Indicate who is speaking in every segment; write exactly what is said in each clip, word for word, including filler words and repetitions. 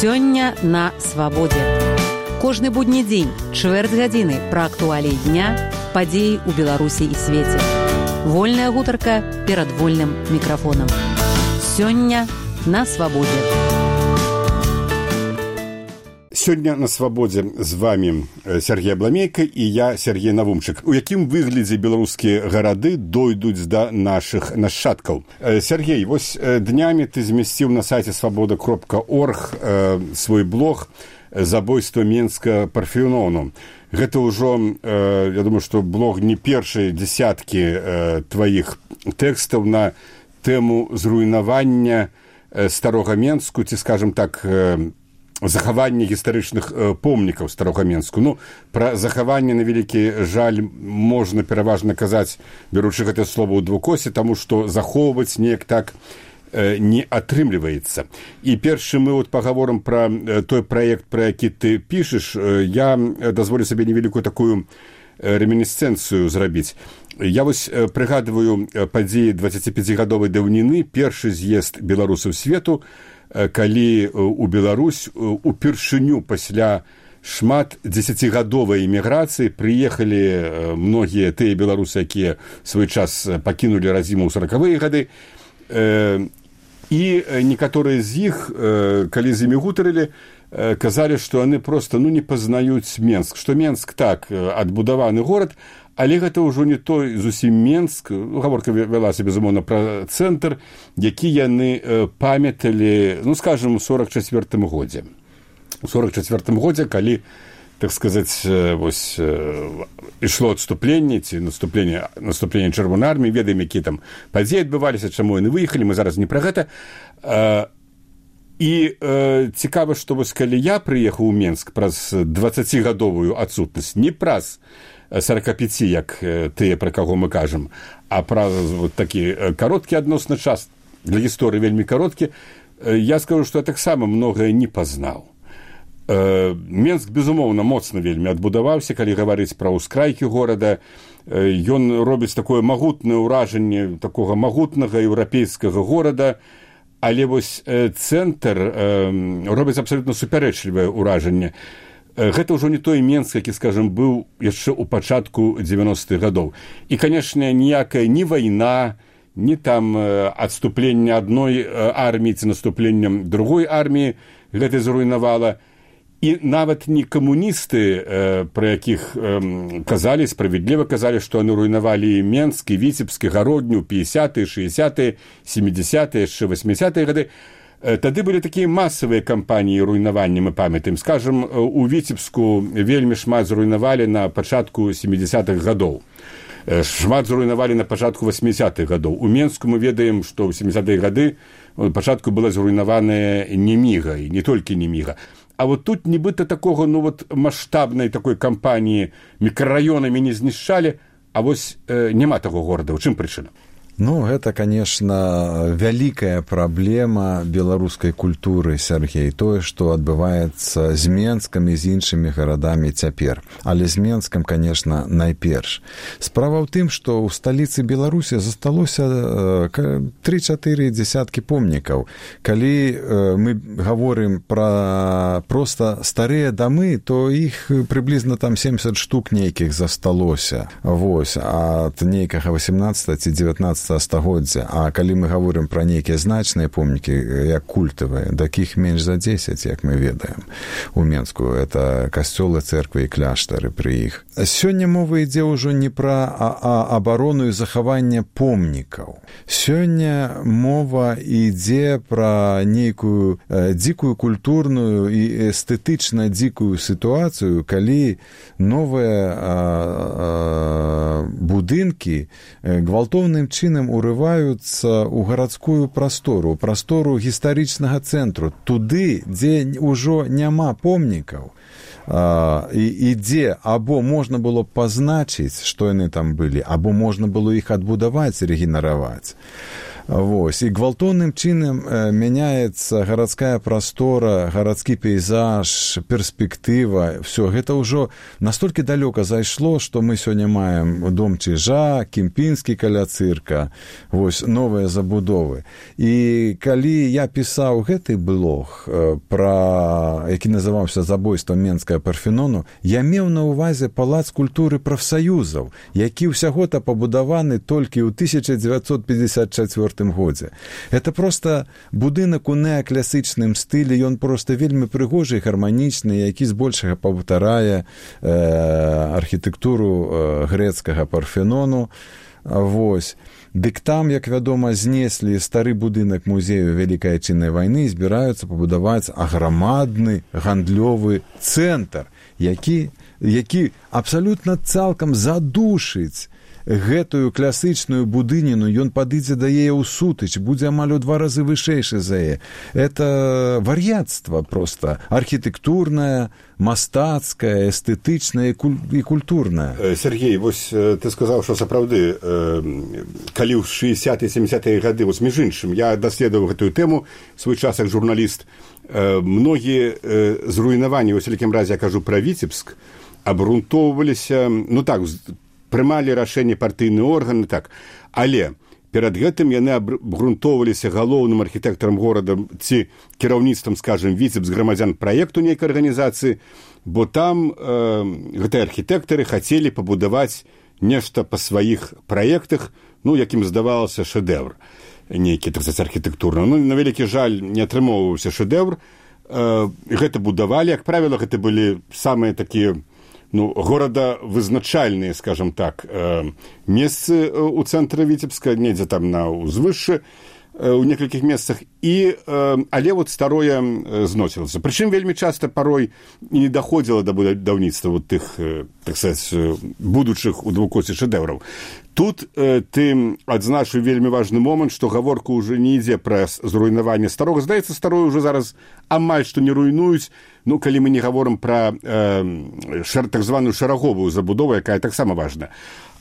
Speaker 1: Сёння на свабодзе. Кожны будні дзень, чвэрць гадзіны пра актуаліі дня, падзеі ў Беларусі і свеце. Вольная гутарка перад вольным мікрафонам. Сёння на свабодзе.
Speaker 2: Сёння на свабодзе з вами Сергей Абламейка і я, Сергей Навумчык. У якім выглядзе беларускія гарады дойдуць да нашых нашчадкаў? Сергей, вось днямі ты змясціў на сайце свабода кропка орг свой блог «Забойство Менска Парфенону». Гэта ўжо, я думаю, што блог не першай дзясяткі тваіх тэкстаў на тэму зруйнавання старога Менску, ці, скажем так, захаванне гістарычных помнікаў старога Менску. Ну, пра захаванне, на вялікі жаль, можна пераважна казаць, беручы гэтае слова ў двукосе, таму што захоўваць неяк так не атрымліваецца. І першы мы вот пагаворым пра той праект, пра які ты пішаш. Я дазволю сабе невялікую такую ремінісцэнцыю зрабіць. Я вось прыгадваю падзеі дваццаціпяцігадовай даўніны, першы з'езд беларусаў свету, калі у Беларусь упершыню пасля шмат дзесяцігадовай эміграцыі прыехалі многія тыя беларусы, якія свой час пакінулі радзіму ў саракавыя гады, і некаторыя з іх, калі з імі гутарылі, казалі, што яны проста ну, не пазнаюць Менск, што Менск так адбудаваны горад, але гэта ўжо не той зусім Менск, гаворка вялася, безумоўна, пра цэнтр, які яны памяталі, ну, скажам, у сорок чацвёртым годзе. У сорок чацвёртым годзе, калі, так сказаць, вось, ішло адступленне, ці наступленне, наступленне Чырвонай арміі, ведаем, якія там падзеі адбываліся, чаму яны выехалі, мы зараз не пра гэта. І цікава, што вось калі я прыехаў у Менск праз дваццацігадовую адсутнасць, не праз сорок пяць, як тыя, пра каго мы кажам, а праз вот такі кароткі адносна час, для гісторыі вельмі кароткі, я скажу, што я таксама многае не пазнаў. Менск, безумоўна, моцна вельмі адбудаваўся, калі гаварыць пра ўскрайкі горада. Ён робіць такое магутнае ўражанне такога магутнага еўрапейскага горада, але вось цэнтр робіць абсалютна супярэчлівае ўражанне. Гэта ўжо не той Менск, які, скажам, быў яшчэ ў пачатку дзевяностых гадоў. І, канешне, ніякая ні вайна, ні там адступленне адной арміі ці наступленнем другой арміі гэта зруйнавала. І нават не камуністы, пра якіх казалі, справядліва казалі, што яны руйнавалі Менск, і Віцебск, і Гародню, пятьдесятые, шестидесятые, семидесятые, яшчэ восьмидесятые гады. Тады былі такія масавыя кампаніі руйнавання, мы памятаем. Скажам, у Віцебску вельмі шмат зруйнавалі на пачатку семидесятых гадоў. Шмат зруйнавалі на пачатку восьмидесятых гадоў. У Менску мы ведаем, што ў семидесятые гады пачатку была зруйнаваная Неміга, і не толькі Неміга. А вот тут нібыта такога, ну вот, маштабнай такой кампаніі мікрараёнамі не знішчалі, а вось э, няма таго горада. У чым прычына?
Speaker 3: Ну, гэта, конечно, вялікая праблема беларускай культуры, Сергей, тое, што адбываецца з Менскам і з іншымі гарадамі цяпер. Але з Менскам, конечно, найперш. Справа ў тым, што ў сталіцы Беларусі засталося тры-чатыры дзясяткі помнікаў. Калі мы гаворым пра проста старыя дамы, то іх прыблізна там семьдесят штук нейкіх засталося. Вось, ад нейкага восемнадцатага ці дзевятнаццатага стагоддзя. А калі мы гаворым пра нейкія значныя помнікі, як культавыя, такіх менш за дзесяць, як мы ведаем у Менску. Это касцёлы, цэрквы і кляштары пры іх. Сёння мова ідзе ўжо не пра абарону і захаванне помнікаў. Сёння мова ідзе пра нейкую дзікую культурную і эстэтычна дзікую сітуацыю, калі новыя будынкі гвалтоўным чынам урываюцца ў гарадскую прастору, прастору гістарычнага цэнтру, туды, дзе ўжо няма помнікаў, і, і дзе або можна было пазначыць, што яны там былі, або можна было іх адбудаваць, рэгенераваць. Вось. І гвалтоўным чынам мяняецца гарадская прастора, гарадскі пейзаж, перспектыва, все гэта ўжо настолькі далёка зайшло, што мы сёння маем дом Чижа, Кемпінскі каля цырка, вось новыя забудовы. І калі я пісаў гэты блог, пра які называўся «Забойства Менскага Парфенону», я меў на ўвазе палац культуры прафсаюзаў, які ўсяго-то пабудаваны толькі ў тысяча дзевяцьсот пятьдесят чацвёртым годзе. Это просто будынак у неаклясычным стылі, ён просто вельмі прыгожы і гарманічны, які збольшага паўтарае э, архітэктуру э, грэцкага Парфенону. Вось. Дык там, як вядома, знеслі стары будынак музею Вялікай Адчыннай вайны і збіраюцца пабудаваць аграмадны гандлёвы цэнтр, які, які абсалютна цалкам задушыць гэтую класычную будыніну, ён падыдзе да яе ў сутыч, будзе амаль у два разы вышэйшы за яе. Это вар'яцтва проста, архітэктурнае, мастацкае, эстэтычнае і культурнае.
Speaker 2: Сергей, вось ты сказаў, што сапраўды, калі ў шэсцятыя сямдзесятыя гады, вось між іншым, я даследаваў гэтую тэму свой час як журналіст, многія зруйнаванні, вось у якім разе я кажу пра Віцебск, абрунтоўваліся, ну так, прымалі рашэнне партыйныя органы, так, але перад гэтым яны абгрунтоўваліся галоўным архітэктарам горада ці кіраўніцтвам, скажем, Віцебск грамадзян праекту нейкай арганізацыі, бо там э, гэтыя архітэктары хацелі пабудаваць нешта па сваіх праектах, ну, якім здавалася шэдэўр нейкі, так сказаць, архітэктурны. Ну, на вялікі жаль, не атрымоўваўся шэдэўр. Э, гэта будавалі, як правіла, гэта былі самыя такія, ну, горадавызначальныя, скажем так, месцы ў цэнтры Віцебска, недзе там на ўзвышшы, у некалькіх месцах, і, але вот старое зносілася. Прычым вельмі часта парой не даходзіла да будаўніцтва вот тых, так сказаць, будучых у двукоці шэдэўраў. Тут э, ты адзначыў вельмі важны момант, што гаворка ўжо не ідзе пра зруйнаванне старога. Здаецца, старое ўжо зараз амаль што не руйнуюць, ну, калі мы не гаворым пра э, шар, так званую шараговую забудову, якая таксама важна.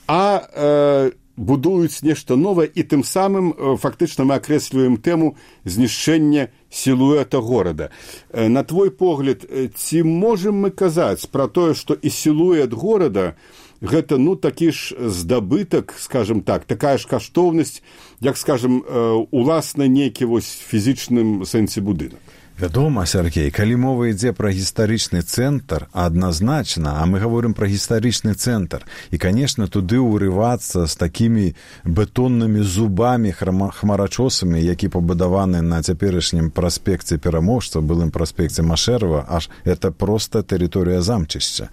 Speaker 2: А э, будуюць нешта новае, і тым самым э, фактычна мы акрэсліваем тэму знішчэння сілуэта горада. Э, на твой погляд, э, ці можам мы казаць пра тое, што і сілуэт горада гэта, ну, такі ж здабытак, скажем так, такая ж каштоўнасць, як, скажем, уласна нейкі вось фізічным сэнсе будынак.
Speaker 3: Вядома, Сергей, калі мова ідзе пра гістарычны цэнтр, адназначна, а мы гаворым пра гістарычны цэнтр, і, канешне, туды ўрывацца з такімі бетоннымі зубамі, хмарачосамі, які пабудаваны на цяперашнім праспекце Пераможца, былым праспекце Машэрава, аж это проста тэрыторыя замчышча,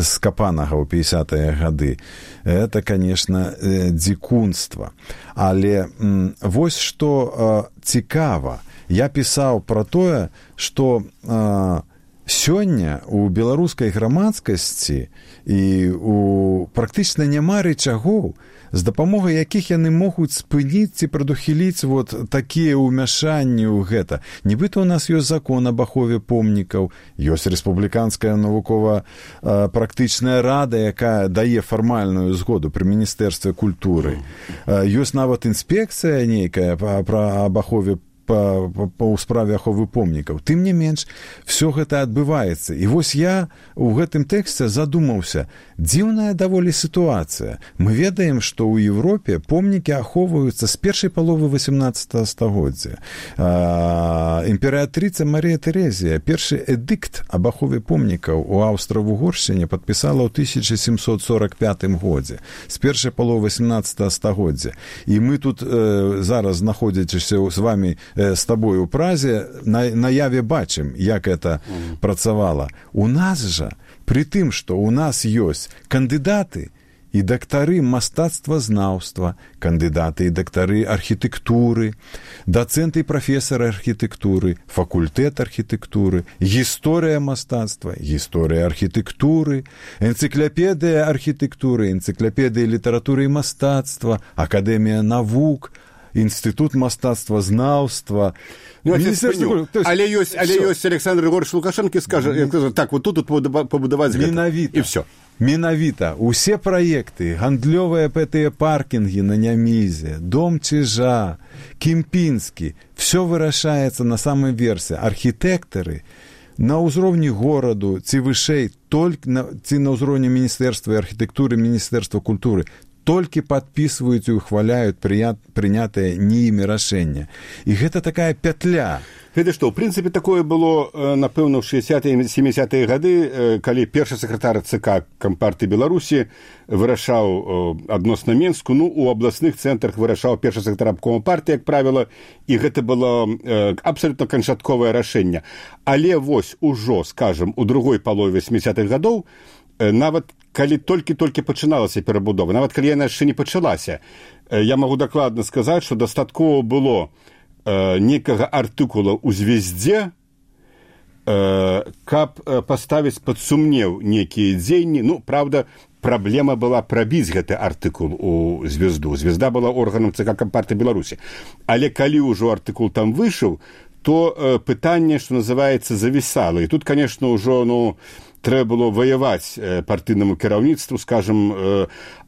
Speaker 3: скапанага ў пятидесятыя гады. Это, канешне, дзікунства. Але м, вось што э, цікава, я пісаў пра тое, што э, сёння у беларускай грамадскасці і у практычна няма рычагоў, з дапамогай якіх яны могуць спыніць ці прадухіліць вот такія ўмяшанні ў гэта. Нібыта ў нас ёсць закон аб ахове помнікаў, ёсць рэспубліканская навукова-практычная рада, якая дае фармальную згоду пры міністэрстве культуры. Ёсць нават інспекцыя нейкая пра аб ахове Па, па, па ў справе аховы помнікаў. Тым не менш, все гэта адбываецца. І вось я ў гэтым тэксце задумаўся, дзіўная даволі сітуацыя. Мы ведаем, што ў Европе помнікі ахоўваюцца з першай паловы восемнадцатага стагоддзя. Імператрыца Марія Тэрэзія першы эдыкт аб ахове помнікаў у Аўстра-Вугоршчыне падпісала ў тысяча сямсот сорок пятым годзе, з першай паловы восемнадцатага стагоддзя. І мы тут э, зараз, знаходзячыся з вамі з табой у Празе, на, наяве бачым, як это mm. працавала. У нас жа, пры тым, што у нас ёсць кандыдаты і дактары мастацтвазнаўства, кандыдаты і дактары архітэктуры, дацэнты і прафесары архітэктуры, факультэт архітэктуры, гісторыя мастацтва, гісторыя архітэктуры, энцыклапедыя архітэктуры, энцыклапедыя літаратуры і мастацтва, акадэмія навук, Інстытут мастацтвазнаўства.
Speaker 2: Ну, есть, але ёсць, але ёсць Александр Григорьевич Лукашенко скажа, mm-hmm. так, вот тут, тут побудаваць гэта. І все.
Speaker 3: Менавіта усе праекты, гандлёвыя гэтыя паркінгі на Нямізе, дом Чижа, Кемпінскі, все вырашаецца на самой версе. Архітэктары на ўзроўні гораду ці вышэй, толькі на, ці на ўзроўні міністэрства архітэктуры, міністэрства культуры, толькі падпісваюць і ухваляюць прынятыя не імі рашэння. І гэта такая пятля.
Speaker 2: Гэта што, ў прынцыпе, такое было, напэўна, ў шэсцідзятыя і сямідзясятыя гады, калі першы сакратар ЦК Кампартыі Беларусі вырашаў адносна Менску, ну, у абласных цэнтрах вырашаў першы сакратар абкома партыі, як правіла, і гэта было абсалютна канчатковае рашэнне. Але вось ужо, скажам, у другой палове сямідзясятых гадоў, нават калі толькі-толькі пачыналася перабудова, нават калі яна яшчэ не пачалася, я магу дакладна сказаць, што дастаткова было некага артыкула ў звездзе, каб паставіць пад сумнеў некія дзеянні. Ну, правда, праблема была прабіць гэты артыкул у звезду. Звезда была органам ЦК Кампартыі Беларусі. Але калі ўжо артыкул там выйшаў, то пытанне, што называецца, завісала. І тут, конечно, ўжо, ну, трэба было ваяваць партыйнаму кіраўніцтву, скажам,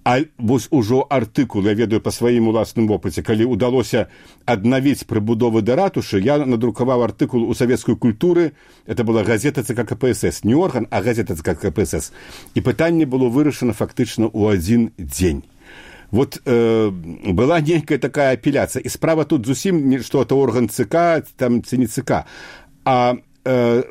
Speaker 2: а вось ужо артыкул, я ведаю па сваім уласным вопыце, калі ўдалося аднавіць прыбудовы да ратушы, я надрукаваў артыкул у савецкай культуры, это была газета ЦК КПСС, не орган, а газета ЦК КПСС. І пытанне было вырашана фактычна ў адзін дзень. Вот э, была нейкая такая апеляцыя, і справа тут зусім не што это орган ЦК, там ці не ЦК, а э,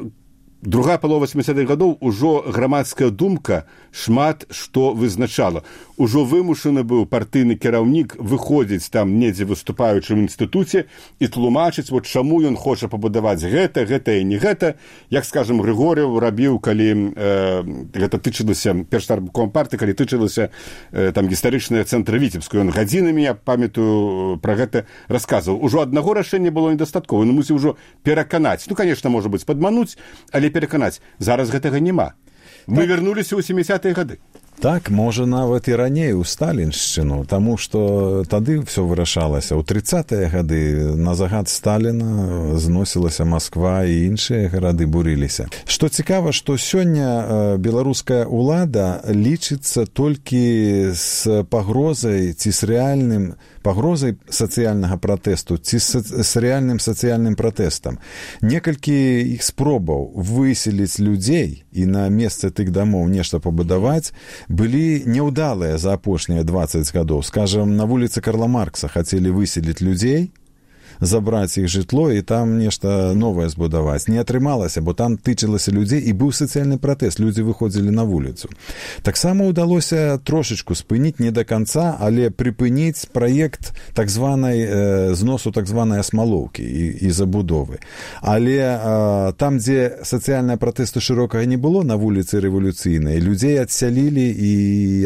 Speaker 2: другая палова сямідзясятых гадоў ужо грамадская думка шмат што вызначала. Ужо вымушаны быў партыйны кіраўнік выходзіць там недзе выступаючым у інстытуце і тлумачыць, вот чаму ён хоча пабудаваць гэта, гэта і не гэта. Як, скажам, Григор'ев рабіў, калі э, гэта тычылася, першы арбком партыі, калі тычылася э, там гістарычныя цэнтры Віцебску. Ён гадзінамі, я памятаю, пра гэта расказваў. Ужо аднаго рашэння было недастаткова. Ён мусіў ужо пераканаць. Ну, конечно, можа быць, падмануць, але пераканаць. Зараз гэтага няма. Мы так вярнуліся ў сямідзясятыя гады.
Speaker 3: Так, можа, нават і раней у сталіншчыну, таму што тады ўсё вырашалася. У трыццатыя гады на загад Сталіна зносілася Масква і іншыя гарады бурыліся. Што цікава, што сёння беларуская ўлада лічыцца толькі з пагрозай ці з рэальным пагрозай сацыяльнага пратэсту ці з рэальным сацыяльным пратэстам. Некалькі іх спробаў выселіць людзей і на месцы тых дамоў нешта пабудаваць былі няўдалыя за апошнія дваццаць гадоў. Скажам, на вуліцы Карла Маркса хацелі выселіць людзей, забраць іх жытло і там нешта новае збудаваць. Не атрымалася, бо там тычылася людзей і быў сацыяльны пратэст, людзі выходзілі на вуліцу. Таксама ўдалося трошечку спыніць, не да канца, але прыпыніць праект так званай э, зносу так званай асмалоўкі і, і забудовы. Але э, там, дзе сацыяльныя пратэсты шырокага не было на вуліцы рэвалюцыйнай, людзей адсялілі і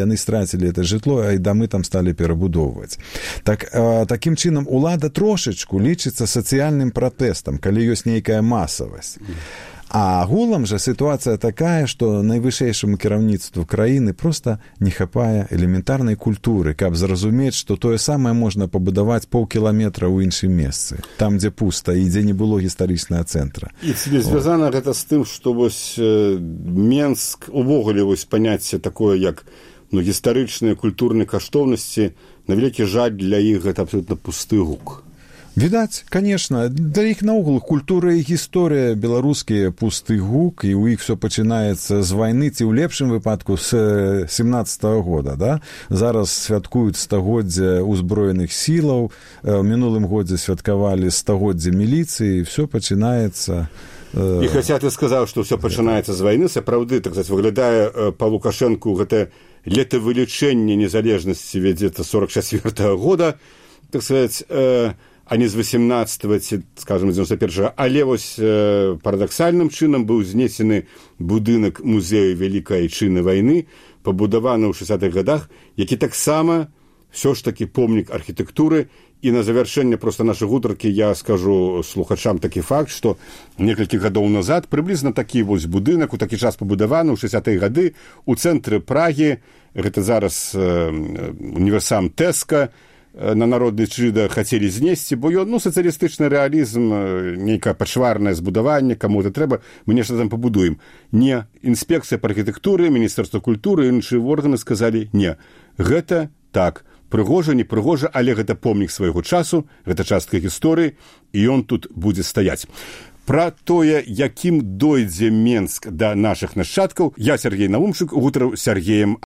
Speaker 3: яны страцілі это жытло, а і дамы там сталі перабудоўваць. Так, э, такім чынам улада трошечку лічыцца сацыяльным пратэстам, калі ёсць нейкая масавасць. А агулам жа сітуацыя такая, што найвышэйшаму кіраўніцтву краіны проста не хапае элементарнай культуры, каб зразумець, што тое самае можна пабудаваць паўкіламетра ў іншым месцы, там, дзе пуста і дзе не было гістарычнага цэнтра.
Speaker 2: І ці не звязана гэта з тым, што вось Менск, увогуле вось паняцце такое, як ну, гістарычныя культурныя каштоўнасці, на вялікі жаль для іх гэта абсолютна пусты гук.
Speaker 3: Відаць, конечно, для іх наогул культура і гісторыя беларускія пусты гук, і ў іх все пачынаецца з вайны, ці ў лепшым выпадку з семнаццатага года. Да? Зараз святкуюць стагоддзе ўзброеных сілаў, у мінулым годзе святкавалі стагоддзе міліцыі, і все пачынаецца...
Speaker 2: І хаця ты сказаў, што ўсё пачынаецца з вайны, сапраўды, так сказаць, выглядае па Лукашэнку гэта летавылічэнне незалежнасці вядзецца сорок чацвёртага года, так сказаць, а не з восемнадцатага, ці, скажем, з дзевяносто першага. Але вось э, парадаксальным чынам быў знесены будынак музею Вялікай Айчыны вайны, пабудаваны ў шэсцідзятых гадах, які таксама ўсё ж такі помнік архітэктуры. І на завяршэнне проста нашай гутаркі я скажу слухачам такі факт, што некалькі гадоў назад прыблізна такі вось будынак у такі час пабудаваны ў шэсцідзятыя гады ў цэнтры Прагі, гэта зараз э, універсам Тэска, на народны чыда хацелі знесці, бо ён, ну, сацыялістычны рэалізм, нейкае пачварнае збудаванне, каму-то трэба, мы нешта там пабудуем. Не, інспекцыя па архітэктуры, Міністэрства культуры, іншыя органы сказалі, не, гэта так, прыгожа, не прыгожа, але гэта помнік свайго часу, гэта частка гісторыі, і ён тут будзе стаяць. Пра тое, якім дойдзе Менск да нашых нашчадкаў, я, Сергей Навумчык, гутарыў з Сергеем